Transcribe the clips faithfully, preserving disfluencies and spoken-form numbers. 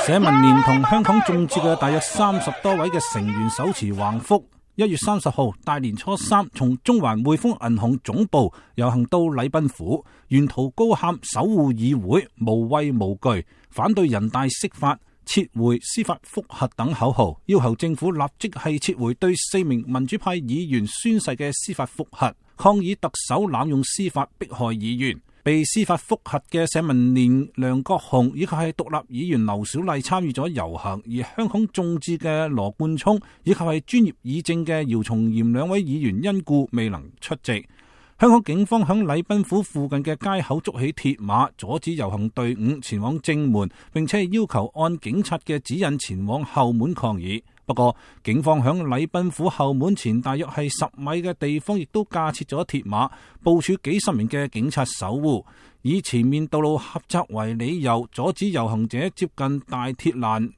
社民連同香港眾志嘅大約三十多位嘅成員手持橫幅，一月三十號大年初三從中環匯豐銀行總部遊行到禮賓府，沿途高喊守護議會、無畏無懼，反對人大釋法、撤回司法覆核等口號，要求政府立即係撤回對四名民主派議員宣誓嘅司法覆核，抗議特首濫用司法迫害議員。被司法覆核嘅社民連梁國雄以及係獨立議員劉小麗參與咗遊行，而香港眾志嘅羅冠聰以及係專業議政嘅姚松炎兩位議員因故未能出席。香港警方響禮賓府附近嘅街口築起鐵馬，阻止遊行隊伍前往正門，並且要求按警察嘅指引前往後門抗議。不過，警方響禮賓府後門前大約係十米嘅地方，亦都架設咗鐵馬，部署幾十名嘅警察守護，以前面道路狹窄為理由，阻止遊行者接近大鐵欄。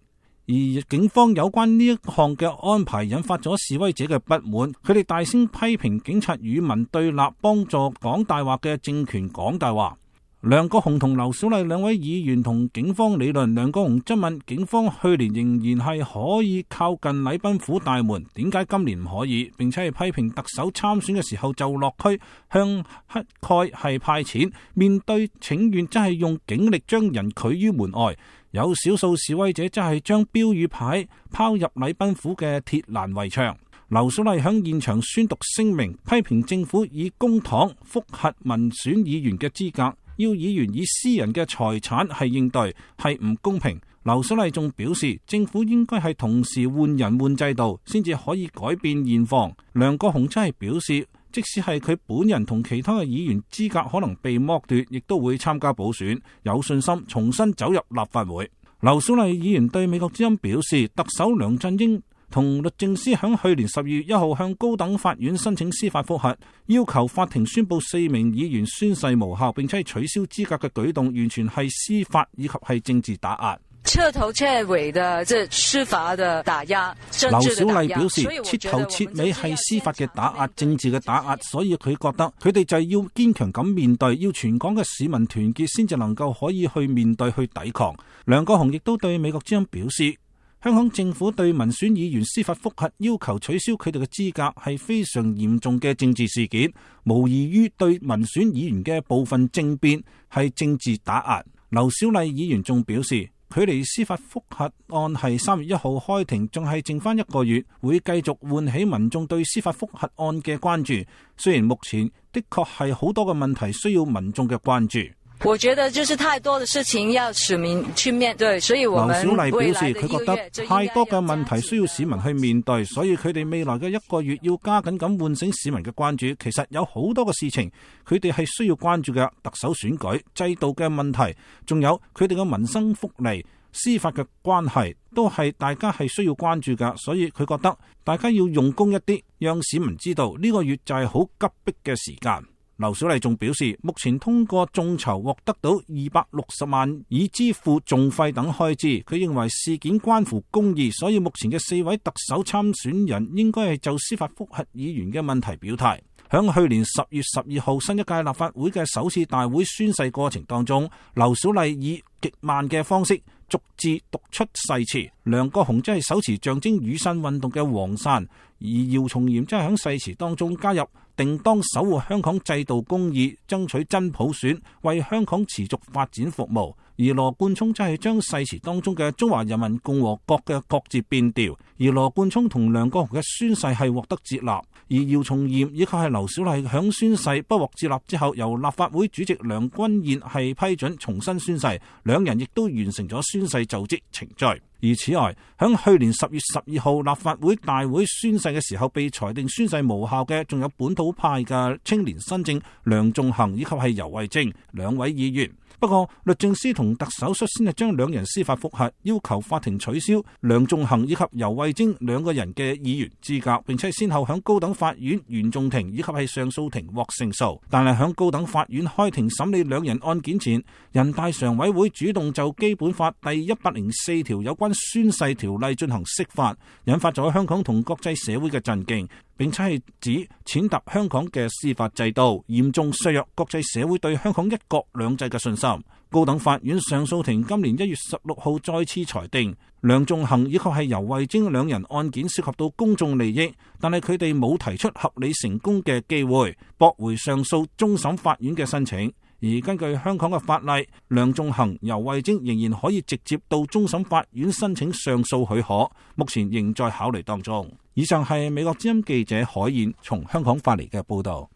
而警方有關呢一項嘅安排，引發咗示威者嘅不滿，佢哋大聲批評警察與民對立，幫助講大話嘅政權講大話。梁國雄同劉小麗兩位議員同警方理論，梁國雄質問警方去年仍然係可以靠近禮賓府大門，點解今年唔可以？並且係批評特首參選嘅時候就落區向乞丐係派錢，面對請願真係用警力將人拒於門外。有少數示威者真係將標語牌拋入禮賓府嘅鐵欄圍牆。劉小麗響現場宣讀聲明，批評政府以公帑覆核民選議員嘅資格，要議員以私人嘅財產係應對，係唔公平。劉小麗仲表示，政府應該係同時換人換制度，先至可以改變現況。梁國雄真係表示，即使係佢本人同其他嘅議員資格可能被剝奪，亦都會參加補選，有信心重新走入立法會。劉小麗議員對美國之音表示，特首梁振英同律政司響去年十二月一號向高等法院申請司法覆核，要求法庭宣布四名議員宣誓無效，並且取消資格嘅舉動，完全係司法以及係政治打壓。徹頭徹尾的這司法的打壓，政治的打壓。劉小麗表示，徹頭徹尾係司法嘅打壓，政治嘅打壓，所以佢覺得佢哋就係要堅強咁面對，要全港嘅市民團結，先至能夠可以去面對去抵抗。梁國雄亦都對美國之音表示，香港政府對民選議員司法覆核要求取消佢哋嘅資格係非常嚴重嘅政治事件，無異於對民選議員嘅部分政變係政治打壓。劉小麗議員仲表示，距離司法覆核案係三月一號開庭，仲係剩翻一個月，會繼續喚起民眾對司法覆核案嘅關注。雖然目前的確係好多嘅問題需要民眾嘅關注。我覺得就是太多的事情要市民去面對，所以我們劉小麗表示，佢覺得太多嘅問題需要市民去面對，所以佢哋未來嘅一個月要加緊咁喚醒市民嘅關注。其實有好多嘅事情，佢哋係需要關注嘅，特首選舉、制度嘅問題，仲有佢哋嘅民生福利、司法嘅關係，都係大家係需要關注㗎。所以佢覺得大家要用功一啲，讓市民知道呢個月就係好急迫嘅時間。劉小麗仲表示，目前通過眾籌獲得到二百六十萬，以支付訟費等開支。佢認為事件關乎公義，所以目前嘅四位特首參選人應該係就司法覆核議員嘅問題表態。響去年十月十二號新一屆立法會嘅首次大會宣誓過程當中，劉小麗以極慢嘅方式逐字讀出誓詞。梁國雄即係手持象徵雨傘運動嘅黃傘，而姚松炎即係響誓詞當中加入定當守護香港制度公義，爭取真普選，為香港持續發展服務。而羅冠聰即係將誓詞當中嘅中華人民共和國嘅國字變調，而羅冠聰同梁國雄嘅宣誓係獲得接納，而姚松炎以及係劉小麗響宣誓不獲接納之後，由立法會主席梁君彥係批准重新宣誓，兩人亦都完成咗宣誓就職程序。而此外，響去年十月十二號立法會大會宣誓嘅時候，被裁定宣誓無效嘅，仲有本土派嘅青年新政梁頌恆以及係游蕙禎兩位議員。不過律政司同特首率先係將兩人司法覆核，要求法庭取消梁頌恆以及游蕙禎兩個人嘅議員資格，並且先後響高等法院原訟庭以及係上訴庭獲勝訴。但係響高等法院開庭審理兩人案件前，人大常委會主動就基本法第一百零四條有關宣誓條例進行釋法，引發咗香港同國際社會嘅震驚，並且係指踐踏香港嘅司法制度，嚴重削弱國際社會對香港一國兩制嘅信心。高等法院上訴庭今年一月十六號再次裁定，梁頌恆以及係游蕙禎兩人案件涉及到公眾利益，但係佢哋冇提出合理成功嘅機會，駁回上訴終審法院嘅申請。而根據香港嘅法例，梁頌恆、游蕙禎仍然可以直接到終審法院申請上訴許可，目前仍在考慮當中。以上係美國之音記者海燕從香港發嚟嘅報道。